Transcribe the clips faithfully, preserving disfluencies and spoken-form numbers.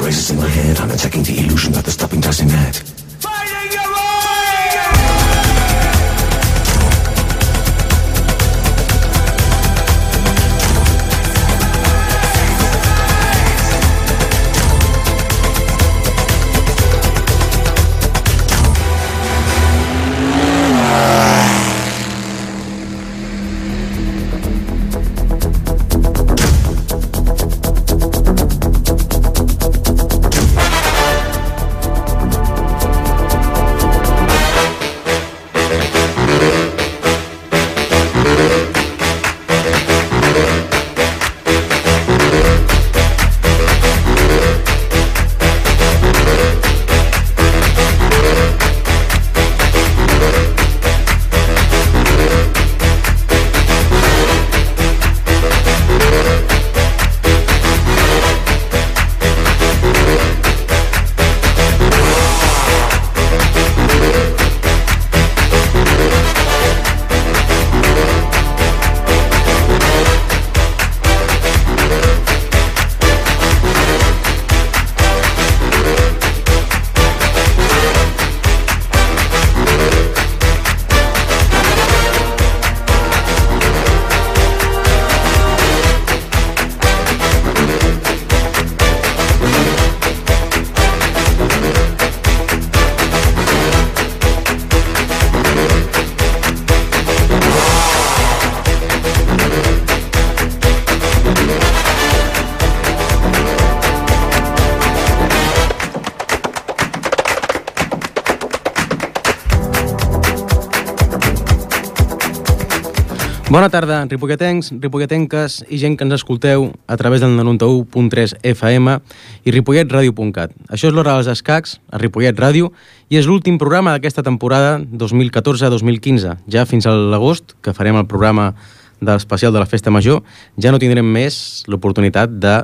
races in my head. I'm attacking the illusion that the stopping doesn't net. Bona tarda, ripolletens, ripolletenques i gent que ens escolteu a través del noranta-u punt tres F M i ripollet ràdio punt cat. Això és l'Hora dels Escacs, a Ripollet Ràdio, i és l'últim programa d'aquesta temporada dos mil catorze dos mil quinze. Ja fins a l'agost, que farem el programa de l'especial de la Festa Major, ja no tindrem més l'oportunitat de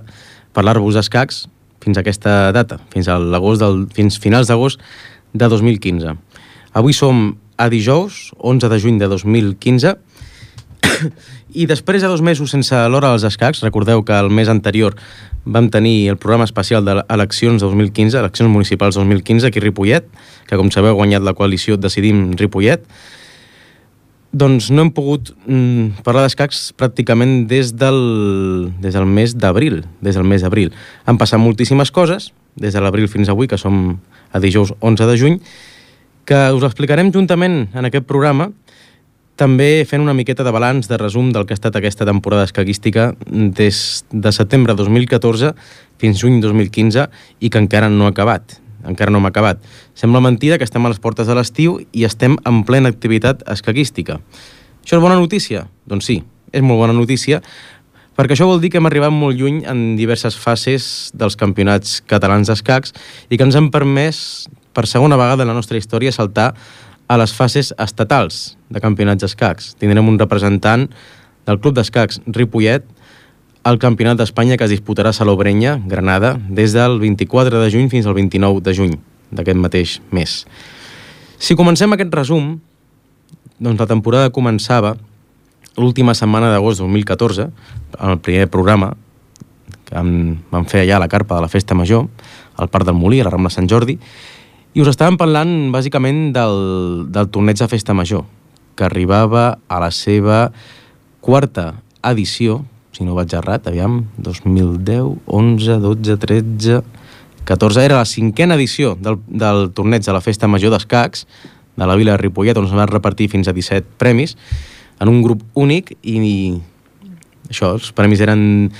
parlar-vos d'escacs fins a aquesta data, fins a l'agost del, fins finals d'agost de dos mil quinze. Avui som a dijous, onze de juny de dos mil quinze, i després de dos mesos sense l'Hora dels Escacs, recordeu que el mes anterior vam tenir el programa especial d'eleccions dos mil quinze, eleccions municipals dos mil quinze, aquí a Ripollet, que com sabeu ha guanyat la coalició Decidim Ripollet, doncs no hem pogut mm, parlar d'escacs pràcticament des del, des del mes d'abril, des del mes d'abril. Han passat moltíssimes coses, des de l'abril fins avui, que som a dijous onze de juny, que us explicarem juntament en aquest programa, també fent una miqueta de balanç, de resum del que ha estat aquesta temporada escaquística des de setembre dos mil catorze fins juny dos mil quinze i que encara no ha acabat. Encara no hem acabat. Sembla mentida que estem a les portes de l'estiu i estem en plena activitat escaquística. Això és bona notícia? Doncs sí, és molt bona notícia, perquè això vol dir que hem arribat molt lluny en diverses fases dels campionats catalans d'escacs i que ens han permès, per segona vegada en la nostra història, saltar a les fases estatals de campionats d'escacs. Tindrem un representant del Club d'Escacs Ripollet al Campionat d'Espanya que es disputarà a Salobreña, Granada, des del vint-i-quatre de juny fins al vint-i-nou de juny d'aquest mateix mes. Si comencem aquest resum, doncs la temporada començava l'última setmana d'agost dos mil catorze, en el primer programa que vam fer allà a la carpa de la Festa Major, al Parc del Molí, a la Rambla Sant Jordi, i us estàvem parlant, bàsicament, del, del torneig de Festa Major, que arribava a la seva quarta edició, si no vaig errat, aviam, dos mil deu, onze, dotze, tretze, catorze... Era la cinquena edició del, del torneig de la Festa Major d'escacs de la Vila de Ripollet, on es van repartir fins a disset premis, en un grup únic, i, i això, els premis eren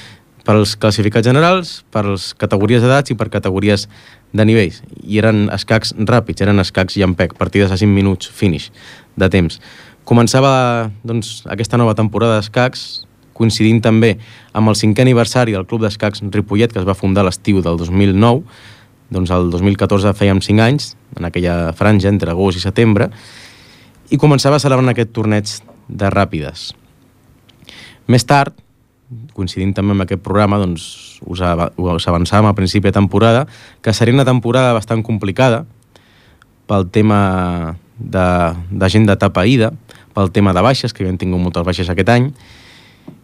per als classificats generals, per les categories d'edats i per categories de nivells. I eren escacs ràpids, eren escacs llampec, partides a cinc minuts, finish, de temps. Començava, doncs, aquesta nova temporada d'escacs, coincidint també amb el cinquè aniversari del Club d'Escacs Ripollet, que es va fundar a l'estiu del dos mil nou, doncs el dos mil catorze fèiem cinc anys, en aquella franja entre agost i setembre, i començava a celebrar aquest torneig de ràpides. Més tard, coincidint també amb aquest programa, doncs us, us avançàvem a principi de temporada que seria una temporada bastant complicada pel tema de, de gent d'etapa ida, pel tema de baixes, que havien tingut moltes baixes aquest any,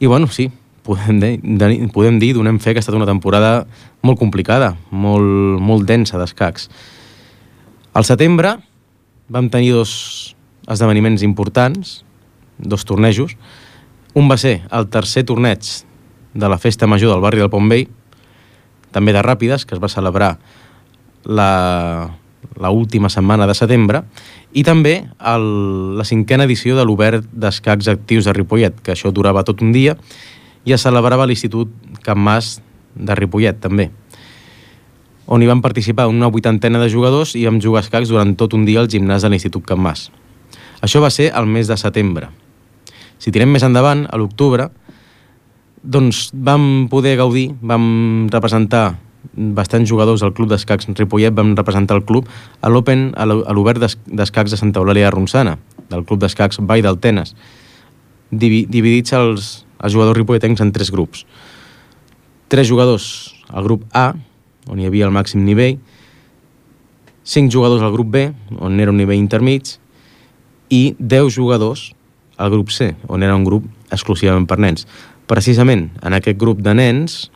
i bueno, sí, podem dir, podem dir, donem fe que ha estat una temporada molt complicada, molt, molt densa d'escacs. Al setembre vam tenir dos esdeveniments importants, dos tornejos. Un va ser el tercer torneig de la Festa Major del barri del Pont Vell, també de ràpides, que es va celebrar la, la última setmana de setembre, i també el, la cinquena edició de l'Obert d'Escacs Actius de Ripollet, que això durava tot un dia, i es celebrava a l'Institut Can Mas de Ripollet, també, on hi van participar una vuitantena de jugadors i vam jugar escacs durant tot un dia al gimnàs de l'Institut Can Mas. Això va ser el mes de setembre. Si tirem més endavant, a l'octubre, doncs vam poder gaudir, vam representar bastants jugadors del Club d'Escacs Ripollet, vam representar el club a l'Open, a l'Obert d'Escacs de Santa Eulàlia de Ronçana, del Club d'Escacs Vall del Tenes, dividits els, els jugadors ripolletencs en tres grups. Tres jugadors al grup A, on hi havia el màxim nivell, cinc jugadors al grup B, on era un nivell intermig, i deu jugadors al grup C, on era un grup exclusivament per nens. Precisament en aquest grup de nens,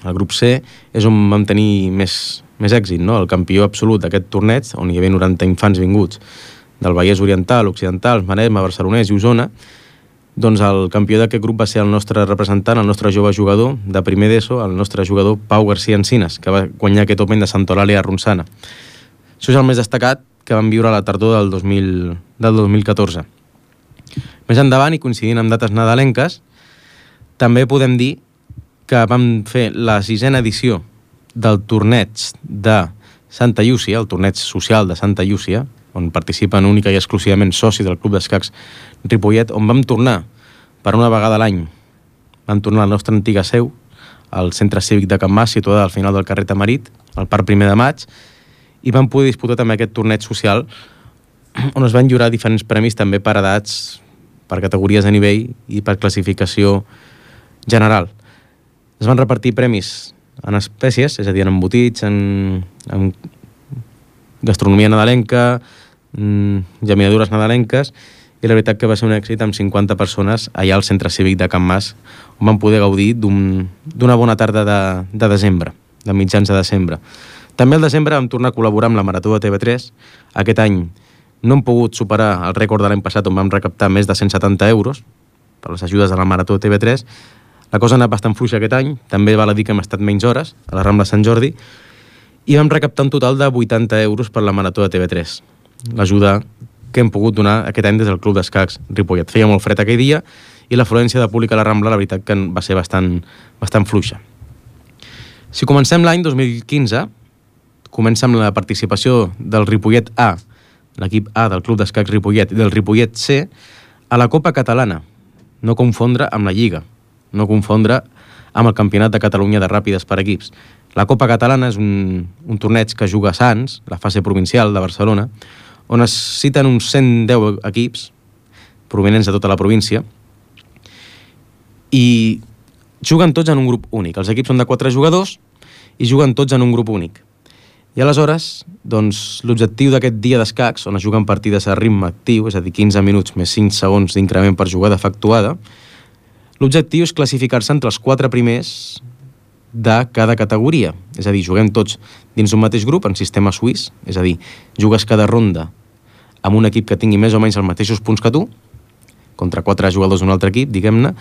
el grup C, és on vam tenir més, més èxit, no? El campió absolut d'aquest torneig, on hi havia noranta infants vinguts del Vallès Oriental, Occidental, Maresme, Barcelonès i Osona, doncs el campió d'aquest grup va ser el nostre representant, el nostre jove jugador de primer d'ESO, el nostre jugador Pau García Encinas, que va guanyar aquest Open de Santa Eulàlia de Ronçana. Això és el més destacat que vam viure a la tardor del dos mil, del dos mil catorze. Més endavant, i coincidint amb dates nadalenques, també podem dir que vam fer la sisena edició del torneig de Santa Llúcia, el torneig social de Santa Llúcia, on participen única i exclusivament socis del Club d'Escacs Ripollet, on vam tornar per una vegada a l'any. Vam tornar a la nostra antiga seu, al Centre Cívic de Can Mas, situada al final del carrer Tamarit, al Parc Primer de Maig, i vam poder disputar també aquest torneig social, on es van lliurar diferents premis també per edats, per categories de nivell i per classificació general. Es van repartir premis en espècies, és a dir, en embotits, en, en gastronomia nadalenca, geminadures nadalenques, i la veritat que va ser un èxit amb cinquanta persones allà al Centre Cívic de Can Mas, on vam poder gaudir d'una un, bona tarda de, de desembre, de mitjans de desembre. També al desembre vam tornar a col·laborar amb la Marató de T V tres. Aquest any no hem pogut superar el rècord de l'any passat, on vam recaptar més de cent setanta euros per les ajudes de la Marató de T V tres. La cosa ha anat bastant fluixa aquest any, també val a dir que hem estat menys hores a la Rambla Sant Jordi, i vam recaptar un total de vuitanta euros per la Marató de T V tres. L'ajuda que hem pogut donar aquest any des del Club d'Escacs Ripollet. Feia molt fred aquell dia i l'afluència de públic a la Rambla, la veritat que va ser bastant, bastant fluixa. Si comencem l'any dos mil quinze, comença amb la participació del Ripollet A, l'equip A del Club d'Escacs Ripollet, i del Ripollet C a la Copa Catalana. No confondre amb la Lliga, no confondre amb el Campionat de Catalunya de Ràpides per equips. La Copa Catalana és un, un torneig que juga a Sants, la fase provincial de Barcelona, on es citen uns cent deu equips provenents de tota la província i juguen tots en un grup únic. Els equips són de quatre jugadors i juguen tots en un grup únic. I aleshores, doncs, l'objectiu d'aquest dia d'escacs, on es juguen partides a ritme actiu, és a dir, quinze minuts més cinc segons d'increment per jugada efectuada, l'objectiu és classificar-se entre els quatre primers de cada categoria. És a dir, juguem tots dins un mateix grup en sistema suís, és a dir, jugues cada ronda amb un equip que tingui més o menys els mateixos punts que tu, contra quatre jugadors d'un altre equip, diguem-ne,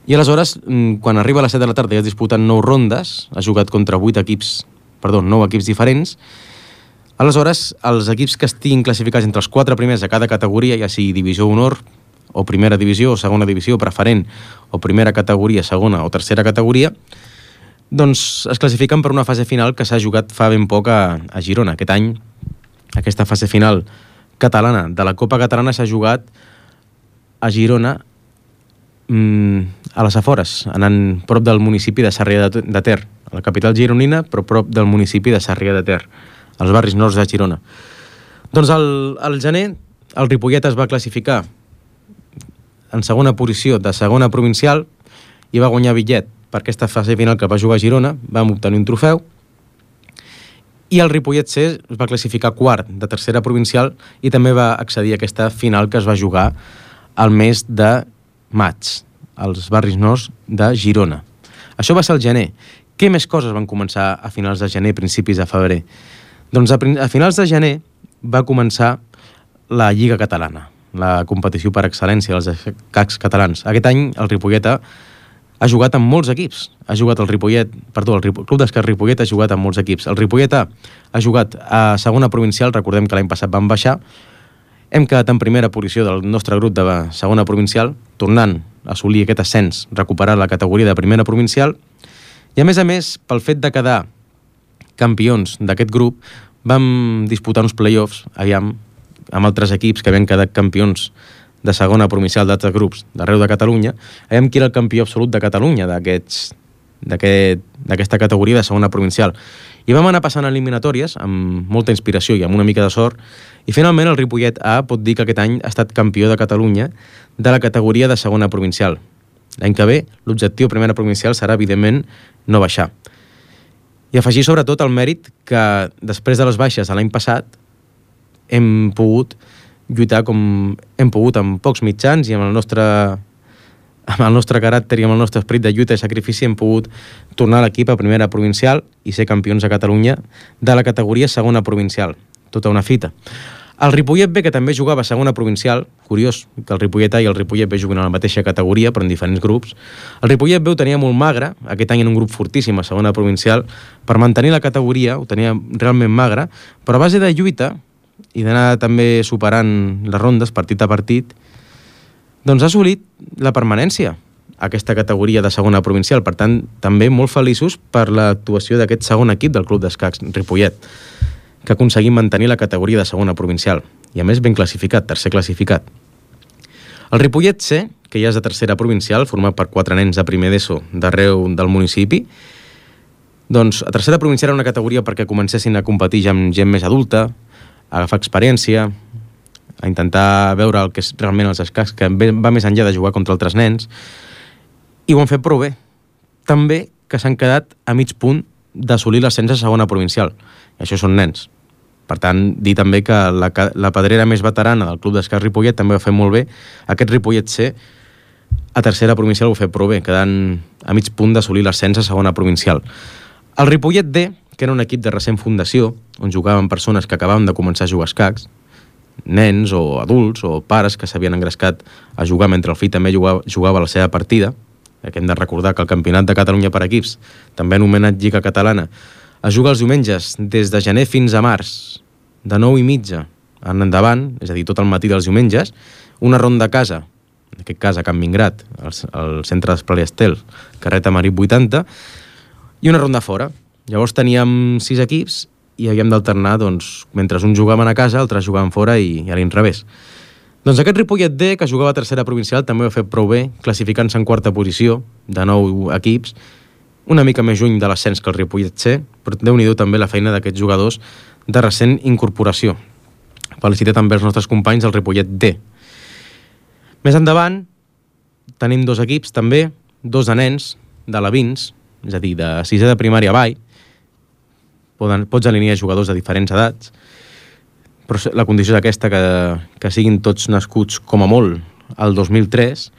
i aleshores, quan arriba a les set de la tarda i has disputat nou rondes, has jugat contra vuit equips, perdó, nou equips diferents, aleshores, els equips que estiguin classificats entre els quatre primers de cada categoria, ja sigui divisió honor, o primera divisió, o segona divisió, preferent, o primera categoria, segona o tercera categoria, doncs es classifiquen per una fase final que s'ha jugat fa ben poc a, a Girona. Aquest any, aquesta fase final catalana de la Copa Catalana s'ha jugat a Girona, mmm, a les afores, anant prop del municipi de Sarrià de, de Ter, a la capital gironina, però prop del municipi de Sarrià de Ter, als barris nords de Girona. Doncs al, al gener el Ripollet es va classificar en segona posició de segona provincial i va guanyar bitllet per aquesta fase final que va jugar a Girona, vam obtenir un trofeu, i el Ripollet C es va classificar quart de tercera provincial i també va accedir a aquesta final que es va jugar al mes de maig, als barris nords de Girona. Això va ser al gener. Què més coses van començar a finals de gener, principis de febrer? Doncs a, a finals de gener va començar la Lliga Catalana, la competició per excel·lència dels escacs catalans. Aquest any el Ripollet ha jugat amb molts equips. Ha jugat el Ripollet, perdó, el Ripo, Club d'Escacs Ripollet ha jugat amb molts equips. El Ripollet ha, ha jugat a segona provincial, recordem que l'any passat van baixar. Hem quedat en primera posició del nostre grup de segona provincial, tornant a assolir aquest ascens, recuperar la categoria de primera provincial. I a més a més, pel fet de quedar campions d'aquest grup, vam disputar uns play-offs aviam, amb altres equips que havien quedat campions de segona provincial d'altres grups d'arreu de Catalunya. Aviam qui era el campió absolut de Catalunya d'aquesta aquest, categoria de segona provincial. I vam anar passant eliminatòries amb molta inspiració i amb una mica de sort, i finalment el Ripollet A pot dir que aquest any ha estat campió de Catalunya de la categoria de segona provincial. L'any que ve l'objectiu primera provincial serà evidentment no baixar. I afegir sobretot el mèrit que després de les baixes de l'any passat hem pogut lluitar com hem pogut amb pocs mitjans i amb el nostre amb el nostre caràcter i amb el nostre esperit de lluita i sacrifici hem pogut tornar l'equip a primera provincial i ser campions a Catalunya de la categoria segona provincial. Tota una fita. El Ripollet B, que també jugava a segona provincial, curiós que el Ripollet A i el Ripollet B juguen a la mateixa categoria però en diferents grups, el Ripollet B ho tenia molt magre, aquest any en un grup fortíssim a segona provincial, per mantenir la categoria ho tenia realment magre, però a base de lluita i d'anar també superant les rondes partit a partit, doncs ha assolit la permanència a aquesta categoria de segona provincial. Per tant, també molt feliços per l'actuació d'aquest segon equip del Club d'Escacs Ripollet, que ha aconseguit mantenir la categoria de segona provincial. I a més ben classificat, tercer classificat. El Ripollet C, que ja és de tercera provincial, format per quatre nens de primer d'ESO d'arreu del municipi, doncs a tercera provincial era una categoria perquè comencessin a competir ja amb gent més adulta, a agafar experiència, a intentar veure el que és realment els escacs, que va més enllà de jugar contra altres nens, i ho han fet prou bé. També que s'han quedat a mig punt d'assolir l'ascens a segona provincial. I això són nens. Per tant, dir també que la, la pedrera més veterana del Club d'Escacs Ripollet també ho ha fet molt bé. Aquest Ripollet C, a tercera provincial ho ha fet prou bé, quedant a mig punt d'assolir l'ascens a segona provincial. El Ripollet D, que era un equip de recent fundació, on jugaven persones que acabaven de començar a jugar a escacs, nens o adults o pares que s'havien engrescat a jugar mentre el fill també jugava, jugava la seva partida, que hem de recordar que el Campionat de Catalunya per equips, també anomenat Lliga Catalana, es juga els diumenges des de gener fins a març, de nou i mitja en endavant, és a dir, tot el matí dels diumenges, una ronda a casa, en aquest cas a Can Mingrat, al, al centre d'Esplai Estel, carrer Tamarit vuitanta, i una ronda fora. Llavors teníem sis equips i havíem d'alternar, doncs, mentre uns jugaven a casa, altres jugaven fora i, i a l'inrevés. Doncs aquest Ripollet D, que jugava a tercera provincial, també ho ha fet prou bé, classificant-se en quarta posició, de nou equips, una mica més lluny de l'ascens que el Ripollet C, però déu-n'hi-do també la feina d'aquests jugadors de recent incorporació. Felicitar també els nostres companys del Ripollet D. Més endavant, tenim dos equips també, dos de nens, d'alevins, és a dir, de sisè de primària avall. Poden, pots alinear jugadors de diferents edats, però la condició és aquesta, que, que siguin tots nascuts com a molt al dos mil tres.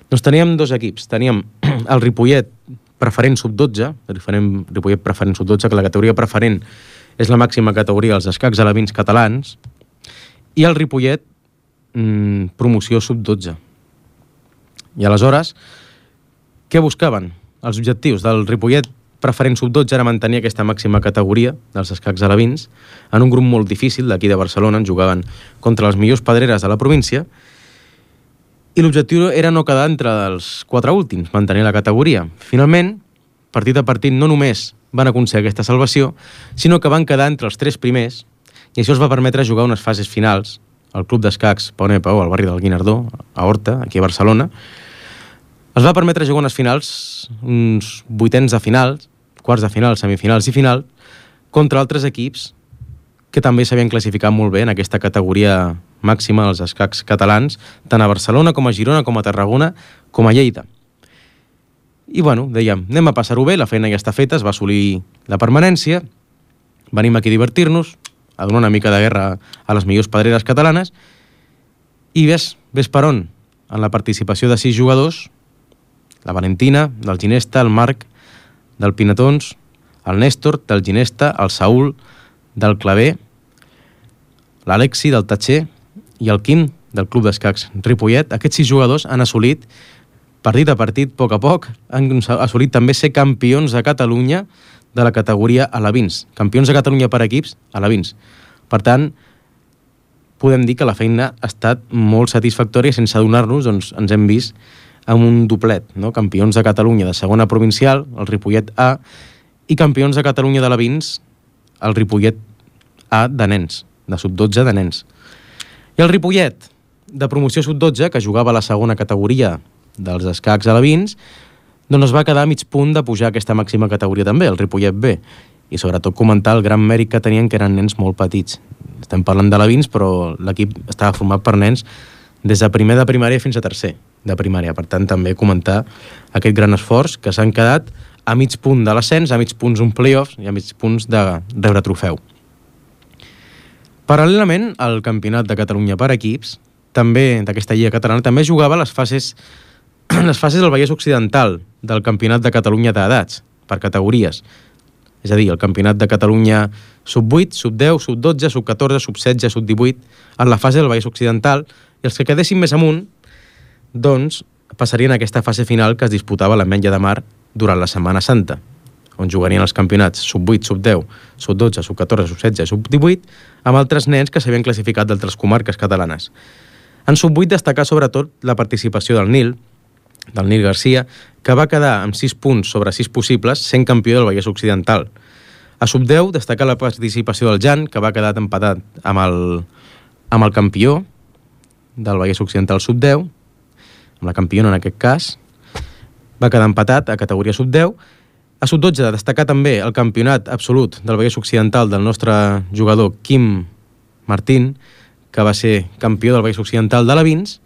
Doncs teníem dos equips. Teníem el Ripollet preferent sub dotze, el Ripollet preferent sub dotze, que la categoria preferent és la màxima categoria dels escacs alevins catalans, i el Ripollet mmm, promoció sub dotze. I aleshores, què buscaven? Els objectius del Ripollet preferent sub dotze era mantenir aquesta màxima categoria dels escacs alevins en un grup molt difícil d'aquí de Barcelona, on jugaven contra les millors pedreres de la província, i l'objectiu era no quedar entre els quatre últims, mantenir la categoria. Finalment, partit a partit, no només van aconseguir aquesta salvació, sinó que van quedar entre els tres primers, i això els va permetre jugar unes fases finals al Club d'Escacs Pau Nepau, al barri del Guinardó, a Horta, aquí a Barcelona. Els va permetre jugar unes finals, uns vuitens de finals, quarts de final, semifinals i final, contra altres equips que també s'havien classificat molt bé en aquesta categoria màxima dels escacs catalans, tant a Barcelona com a Girona, com a Tarragona, com a Lleida. I bueno, dèiem, anem a passar-ho bé, la feina ja està feta, es va assolir la permanència, venim aquí a divertir-nos, a donar una mica de guerra a les millors pedreres catalanes, i ves, ves per on, en la participació de sis jugadors, la Valentina, del Ginesta, el Marc, del Pinatons, el Néstor, del Ginesta, el Saúl, del Claver, l'Alexi, del Tatxer, i el Quim, del Club d'Escacs Ripollet. Aquests sis jugadors han assolit, partit a partit, a poc a poc, han assolit també ser campions de Catalunya de la categoria alevins. Campions de Catalunya per equips alevins. Per tant, podem dir que la feina ha estat molt satisfactòria, sense adonar-nos, doncs ens hem vist amb un doblet, no? Campions de Catalunya de segona provincial, el Ripollet A, i campions de Catalunya d'alevins, el Ripollet A de nens, de sub dotze de nens. I el Ripollet de promoció sub dotze, que jugava a la segona categoria dels escacs alevins, doncs es va quedar a mig punt de pujar a aquesta màxima categoria també, el Ripollet B, i sobretot comentar el gran mèrit que tenien, que eren nens molt petits. Estem parlant d'alevins, però l'equip estava format per nens des de primer de primària fins a tercer de primària. Per tant, també comentar aquest gran esforç, que s'han quedat a mig punt de l'ascens, a mig punts un playoff i a mig punts de rebre trofeu. Paral·lelament al Campionat de Catalunya per equips, també d'aquesta lliga catalana, també jugava les fases, les fases del Vallès Occidental del Campionat de Catalunya d'edats, per categories. És a dir, el Campionat de Catalunya sub vuit, sub deu, sub dotze, sub catorze, sub setze, sub divuit, en la fase del Vallès Occidental, i els que quedessin més amunt, doncs, passarien a aquesta fase final que es disputava a l'Ametlla de Mar durant la Setmana Santa, on jugarien els campionats sub vuit, sub deu, sub dotze, sub catorze, sub setze, sub divuit, amb altres nens que s'havien classificat d'altres comarques catalanes. En sub vuit destacar sobretot la participació del Nil, del Nil Garcia, que va quedar amb sis punts sobre sis possibles, sent campió del Vallès Occidental. A sub deu destacar la participació del Jan, que va quedar empatat amb el, amb el campió del Vallès Occidental sub deu, amb la campiona en aquest cas, va quedar empatat a categoria sub deu. A sub dotze destacar també el campionat absolut del Vallès Occidental del nostre jugador Quim Martín, que va ser campió del Vallès Occidental d'alevins.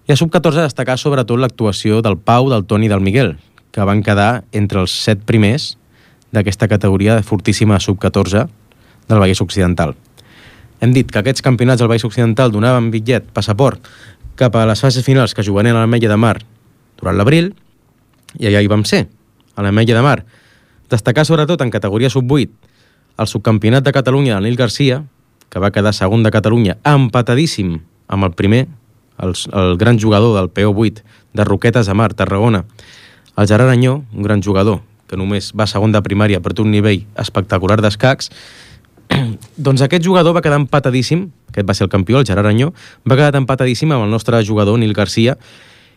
I a sub catorze destacar sobretot l'actuació del Pau, del Toni i del Miguel, que van quedar entre els set primers d'aquesta categoria fortíssima sub catorze del Vallès Occidental. Hem dit que aquests campionats del Vallès Occidental donaven bitllet, passaport, cap a les fases finals que jugarien a l'Ametlla de Mar durant l'abril, i allà hi vam ser, a l'Ametlla de Mar. Destacar sobretot en categoria sub vuit el subcampionat de Catalunya del Nil Garcia, que va quedar segon de Catalunya, empatadíssim amb el primer, el, el gran jugador del P O vuit de Roquetes de Mar, Tarragona, el Gerard Anyó, un gran jugador que només va segon de primària per un nivell espectacular d'escacs. Doncs aquest jugador va quedar empatadíssim, aquest va ser el campió, el Gerard Anyó, va quedar empatadíssim amb el nostre jugador Nil Garcia,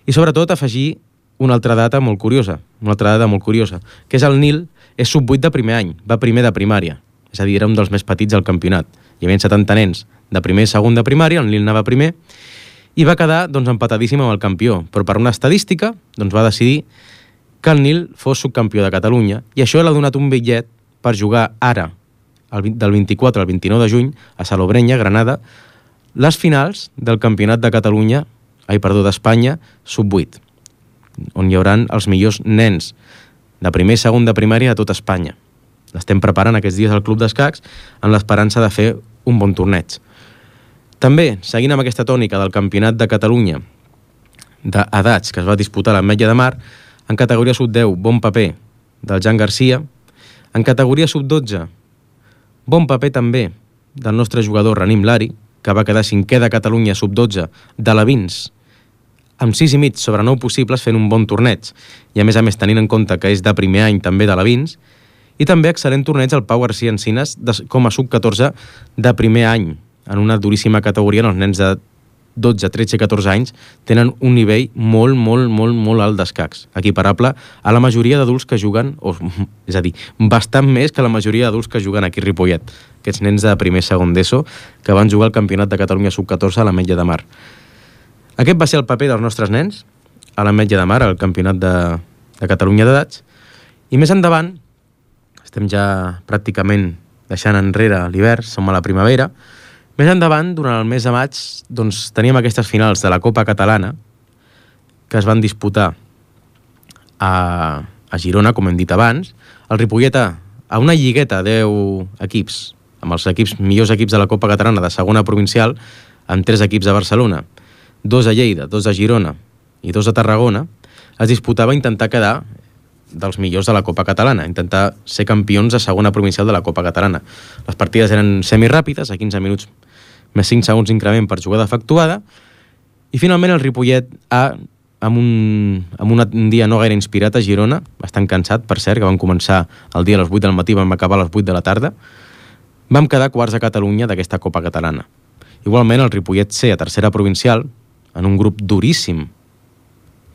i sobretot afegir una altra data molt curiosa, una altra data molt curiosa, que és el Nil és sub vuit de primer any, va primer de primària, és a dir, era un dels més petits del campionat. Hi havia setanta nens de primer i segon de primària, el Nil anava primer, i va quedar doncs, empatadíssim amb el campió, però per una estadística doncs, va decidir que el Nil fos subcampió de Catalunya, i això l'ha donat un bitllet per jugar ara, del vint-i-quatre al vint-i-nou de juny, a Salobreña, Granada, les finals del Campionat de Catalunya, ai, perdó, d'Espanya, sub vuit, on hi haurà els millors nens de primer i segon de primària de tota Espanya. L'estem preparant aquests dies al Club d'Escacs en l'esperança de fer un bon torneig. També, seguint amb aquesta tònica del Campionat de Catalunya d'edats que es va disputar a l'Ametlla de Mar, en categoria sub deu, bon paper del Jan Garcia, en categoria sub dotze, bon paper també del nostre jugador Ranim Lari, que va quedar cinquè de Catalunya sub dotze d'alevins, amb sis i mig sobre nou possibles fent un bon torneig, i a més a més tenint en compte que és de primer any també d'alevins, i també excel·lent torneig al Pau García Encinas de, com a sub catorze de primer any, en una duríssima categoria on els nens de dotze, tretze i catorze anys tenen un nivell molt, molt, molt, molt alt d'escacs, equiparable a la majoria d'adults que juguen, o, és a dir, bastant més que la majoria d'adults que juguen aquí a Ripollet, aquests nens de primer i segon d'ESO que van jugar al Campionat de Catalunya sub catorze a l'Ametlla de Mar. Aquest va ser el paper dels nostres nens a l'Ametlla de Mar, al Campionat de, de Catalunya d'edats, i més endavant, estem ja pràcticament deixant enrere l'hivern, som a la primavera. Més endavant, durant el mes de maig, doncs, teníem aquestes finals de la Copa Catalana que es van disputar a, a Girona, com hem dit abans. El Ripollet A, a una lligueta de deu equips, amb els equips millors equips de la Copa Catalana de segona provincial, amb tres equips de Barcelona, dos a Lleida, dos a Girona i dos a Tarragona. es disputava intentar quedar dels millors de la Copa Catalana, intentar ser campions de segona provincial de la Copa Catalana. Les partides eren semiràpides, a quinze minuts més cinc segons d'increment per jugada efectuada, i finalment el Ripollet A, amb un, amb un dia no gaire inspirat a Girona, bastant cansat, per cert, que van començar el dia a les vuit del matí, vam acabar a les vuit de la tarda, vam quedar quarts a Catalunya d'aquesta Copa Catalana. Igualment, el Ripollet C, a tercera provincial, en un grup duríssim,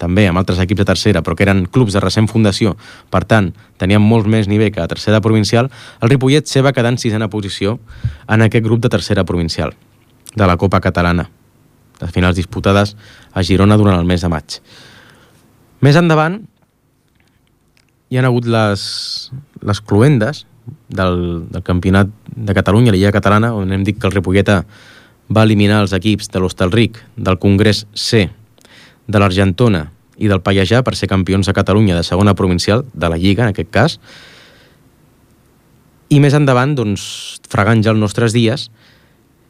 també amb altres equips de tercera, però que eren clubs de recent fundació, per tant, tenien molt més nivell que a tercera provincial, el Ripollet C va quedar en sisena posició en aquest grup de tercera provincial de la Copa Catalana, les finals disputades a Girona durant el mes de maig. Més endavant hi han hagut les, les cluendes del, del campionat de Catalunya, la Lliga Catalana, on hem dit que el Ripollet A va eliminar els equips de l'Hostalric, del Congrés C, de l'Argentona i del Pallejà per ser campions de Catalunya de segona provincial, de la Lliga en aquest cas. I més endavant, doncs, fregant ja els nostres dies,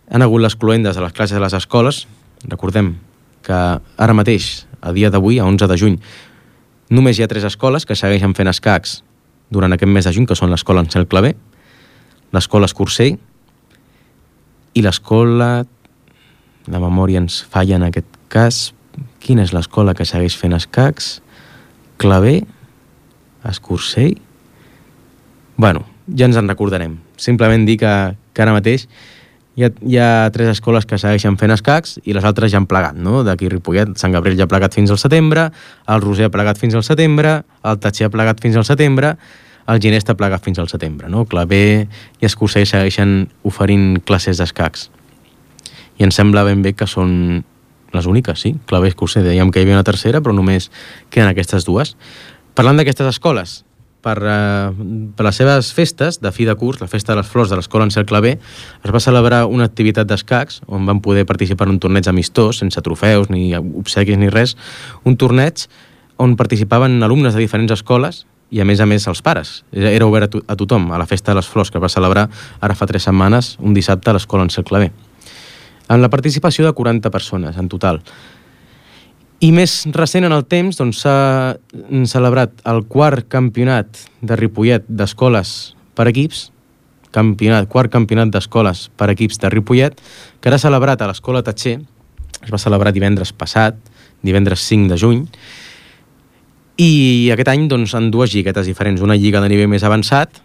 han hagut les cluendes de les classes de les escoles. Recordem que ara mateix, a dia d'avui, a onze de juny, només hi ha tres escoles que segueixen fent escacs durant aquest mes de juny, que són l'escola Ansel Clavé, l'escola Escursell i l'escola... La memòria ens falla en aquest cas. Quina és l'escola que segueix fent escacs? Clavé? Escursell? Bueno, ja ens en recordarem. Simplement dir que, que ara mateix hi ha, hi ha tres escoles que segueixen fent escacs i les altres ja han plegat, no? D'aquí Ripollet, Sant Gabriel ja ha plegat fins al setembre, el Roser ha plegat fins al setembre, el Tatxer ha plegat fins al setembre, el Ginesta ha plegat fins al setembre, no? Clavé i Escursell segueixen oferint classes d'escacs. I ens sembla ben bé que són les úniques, sí. Clavé i Escursell. Dèiem que hi havia una tercera, però només queden aquestes dues. Parlant d'aquestes escoles, per, uh, per les seves festes de fi de curs, la festa de les flors de l'escola Ansel Clavé, es va celebrar una activitat d'escacs on van poder participar en un torneig amistós, sense trofeus, ni obsequis, ni res, un torneig on participaven alumnes de diferents escoles i, a més a més, els pares. Era obert a, to a tothom, a la festa de les flors, que es va celebrar ara fa tres setmanes, un dissabte, a l'escola Ansel Clavé, amb la participació de quaranta persones en total. I més recent en el temps, doncs, s'ha celebrat el quart campionat de Ripollet d'escoles per equips, campionat, quart campionat d'escoles per equips de Ripollet, que era celebrat a l'escola Tatxer, es va celebrar divendres passat, divendres cinc de juny, i aquest any, doncs, en dues lliguetes diferents, una lliga de nivell més avançat,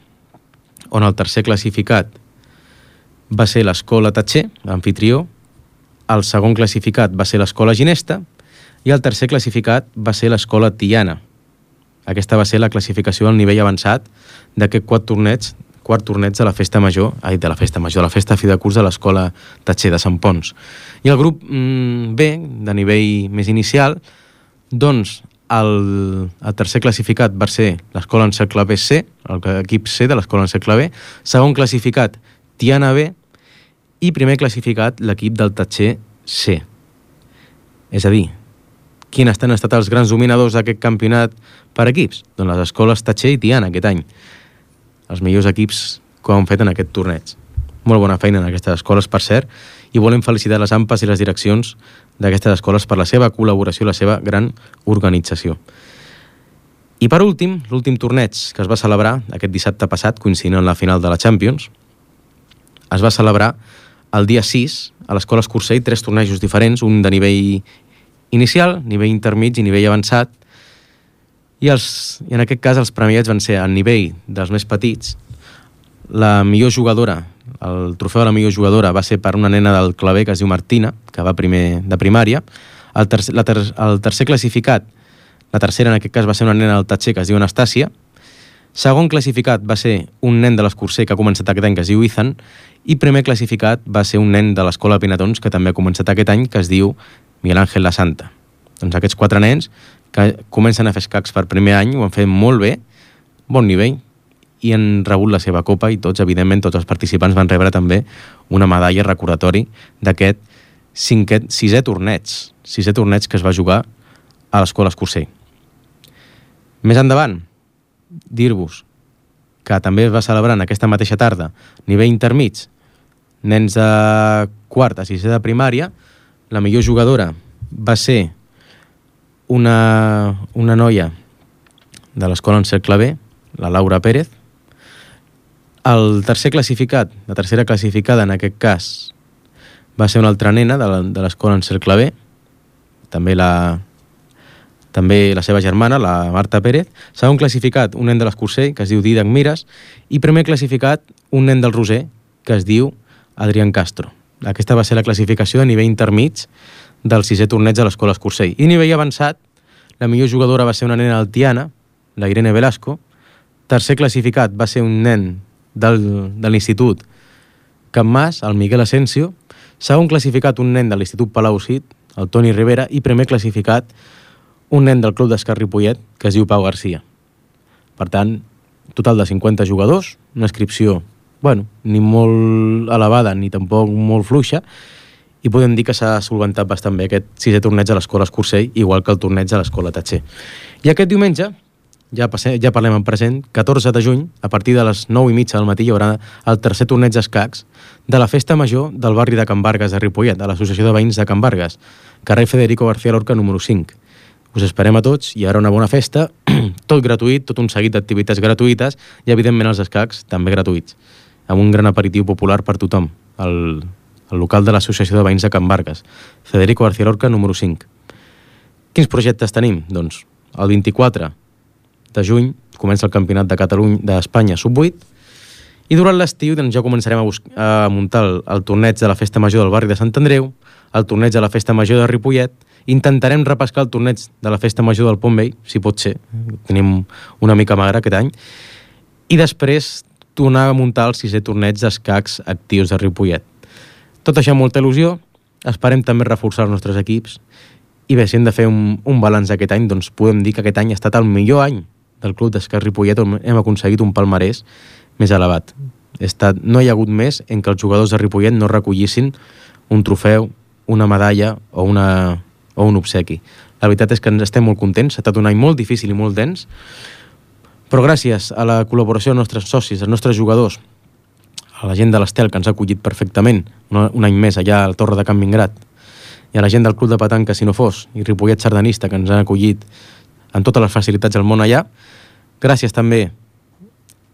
on el tercer classificat va ser l'escola Tatxer, l'anfitrió, el segon classificat va ser l'escola Ginesta i el tercer classificat va ser l'escola Tiana. Aquesta va ser la classificació del nivell avançat d'aquest quart torneig, quart torneig de la festa major, ai, de la festa major, de la festa fi de curs de l'escola Tatxer de Sant Pons. I el grup mm, B, de nivell més inicial, doncs el, el tercer classificat va ser l'escola Ansel Clavé C, l'equip C de l'escola Ansel Clavé, segon classificat Tiana B, i primer classificat l'equip del Tatxer C. És a dir, quins han estat els grans dominadors d'aquest campionat per equips? Doncs les escoles Tatxer i Tiana aquest any. Els millors equips que han fet en aquest torneig. Molt bona feina en aquestes escoles, per cert, i volem felicitar les AMPAs i les direccions d'aquestes escoles per la seva col·laboració i la seva gran organització. I per últim, l'últim torneig que es va celebrar aquest dissabte passat, coincidint amb la final de la Champions, es va celebrar el dia sis a l'escola Escursell, tres tornejos diferents, un de nivell inicial, nivell intermig i nivell avançat, i, els, i en aquest cas els premiats van ser al nivell dels més petits. La millor jugadora, el trofeu de la millor jugadora va ser per una nena del Clavé que es diu Martina, que va primer de primària. El tercer, la ter, el tercer classificat, la tercera en aquest cas va ser una nena del Tatxer que es diu Anastàcia. Segon classificat va ser un nen de l'Escursell que ha començat aquest any que es diu Ethan, i primer classificat va ser un nen de l'escola Pinatons que també ha començat aquest any que es diu Miguel Ángel La Santa. Doncs aquests quatre nens que comencen a fer escacs per primer any ho han fet molt bé, bon nivell, i han rebut la seva copa i tots, evidentment, tots els participants van rebre també una medalla recordatori d'aquest cinquè, sisè torneig, sisè torneig que es va jugar a l'escola Escursell. Més endavant, dir-vos que també es va celebrar en aquesta mateixa tarda nivell intermig, nens de quart a sisè de primària. La millor jugadora va ser una, una noia de l'escola en cercle B, la Laura Pérez. El tercer classificat, la tercera classificada en aquest cas, va ser una altra nena de l'escola en cercle B, també la, també la seva germana, la Marta Pérez. Segon classificat, un nen de l'Escursell, que es diu Didac Mires, i primer classificat, un nen del Roser, que es diu Adrián Castro. Aquesta va ser la classificació de nivell intermig del sisè torneig de l'escola Escursell. I nivell avançat, la millor jugadora va ser una nena altiana, la Irene Velasco. Tercer classificat va ser un nen del, de l'Institut Can Mas, el Miguel Asensio. Segon classificat, un nen de l'Institut Palau Cid, el Toni Rivera. I primer classificat, un nen del Club d'Escacs Ripollet, que es diu Pau Garcia. Per tant, total de cinquanta jugadors, una inscripció, bueno, ni molt elevada ni tampoc molt fluixa, i podem dir que s'ha solventat bastant bé aquest sisè torneig a l'escola Escursell, igual que el torneig a l'escola Tatxer. I aquest diumenge, ja, passem, ja parlem en present, catorze de juny, a partir de les nou i mitja del matí, hi haurà el tercer torneig d'escacs de la Festa Major del barri de Can Vargas de Ripollet, de l'Associació de Veïns de Can Vargas, carrer Federico García Lorca número cinc. Us esperem a tots, hi haurà una bona festa, tot gratuït, tot un seguit d'activitats gratuïtes i, evidentment, els escacs també gratuïts, amb un gran aperitiu popular per tothom, el, el local de l'Associació de Veïns de Can Vargas, Federico García Lorca número cinc. Quins projectes tenim? Doncs el vint-i-quatre de juny comença el Campionat de Catalunya d'Espanya sub vuit, i durant l'estiu doncs, ja començarem a, buscar, a muntar el, el torneig de la Festa Major del barri de Sant Andreu, el torneig de la Festa Major de Ripollet. Intentarem repescar el torneig de la Festa Major del Pont Vell, si pot ser, tenim una mica magre aquest any, i després tornar a muntar el sisè torneig d'escacs actius de Ripollet. Tot això amb molta il·lusió, esperem també reforçar els nostres equips, i bé, si hem de fer un, un balanç d'aquest any, doncs podem dir que aquest any ha estat el millor any del Club d'Escacs Ripollet, on hem aconseguit un palmarès més elevat. Estat, no hi ha hagut més en què els jugadors de Ripollet no recollissin un trofeu, una medalla o, una, o un obsequi. La veritat és que ens estem molt contents, ha estat un any molt difícil i molt dens, però gràcies a la col·laboració dels nostres socis, dels nostres jugadors, a la gent de l'Estel, que ens ha acollit perfectament un, un any més allà a la Torre de Can Vingrat, i a la gent del Club de Petanca, si no fos, i Ripollet Sardanista, que ens han acollit amb totes les facilitats del món allà. Gràcies també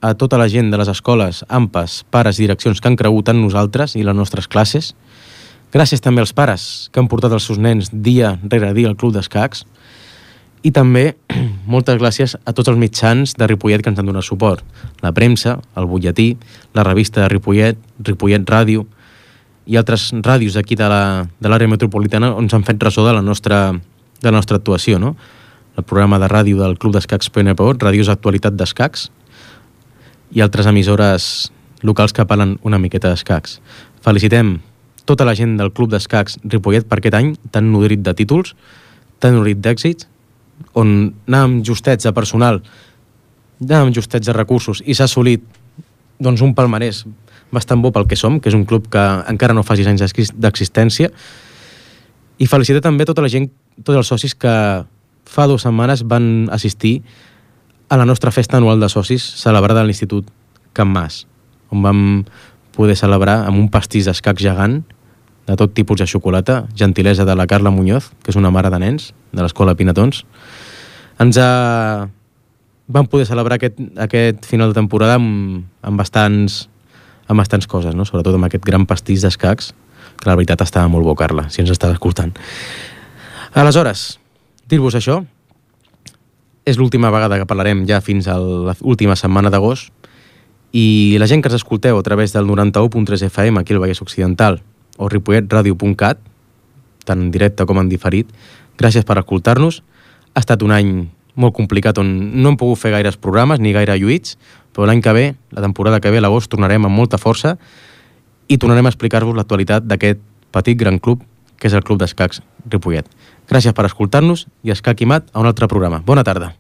a tota la gent de les escoles, A M P A S, pares i direccions que han cregut en nosaltres i les nostres classes. Gràcies també als pares que han portat els seus nens dia rere dia al Club d'Escacs. I també moltes gràcies a tots els mitjans de Ripollet que ens han donat suport. La premsa, el butlletí, la revista de Ripollet, Ripollet Ràdio i altres ràdios d'aquí de l'àrea metropolitana on s'han fet ressò de la nostra, de la nostra actuació, no? El programa de ràdio del Club d'Escacs P N P O, Ràdios Actualitat d'Escacs, i altres emissores locals que parlen una miqueta d'escacs. Felicitem tota la gent del Club d'Escacs Ripollet per aquest any tan nodrit de títols, tan nodrit d'èxits, on anàvem justets de personal, anàvem justets de recursos i s'ha assolit doncs, un palmarès bastant bo pel que som, que és un club que encara no fa sis anys d'existència. I felicitar també tota la gent, tots els socis que fa dues setmanes van assistir a la nostra festa anual de socis celebrada a l'Institut Can Mas, on vam poder celebrar amb un pastís d'escacs gegant de tot tipus de xocolata, gentilesa de la Carla Muñoz, que és una mare de nens de l'Escola Pinatons. Ens ha... vam poder celebrar aquest, aquest final de temporada amb, amb, bastants, amb bastants coses, no? Sobretot amb aquest gran pastís d'escacs, que la veritat estava molt bo, Carla, si ens estàs escoltant. Aleshores, dir-vos això, és l'última vegada que parlarem ja fins a l'última setmana d'agost, i la gent que ens escolteu a través del noranta-u punt tres F M aquí al Vallès Occidental o ripollet radio punt cat, tant en directe com en diferit, gràcies per escoltar-nos. Ha estat un any molt complicat on no hem pogut fer gaires programes ni gaire lluïts, però l'any que ve, la temporada que ve, a l'agost, tornarem amb molta força i tornarem a explicar-vos l'actualitat d'aquest petit gran club que és el Club d'Escacs Ripollet. Gràcies per escoltar-nos i Escac i Mat a un altre programa. Bona tarda.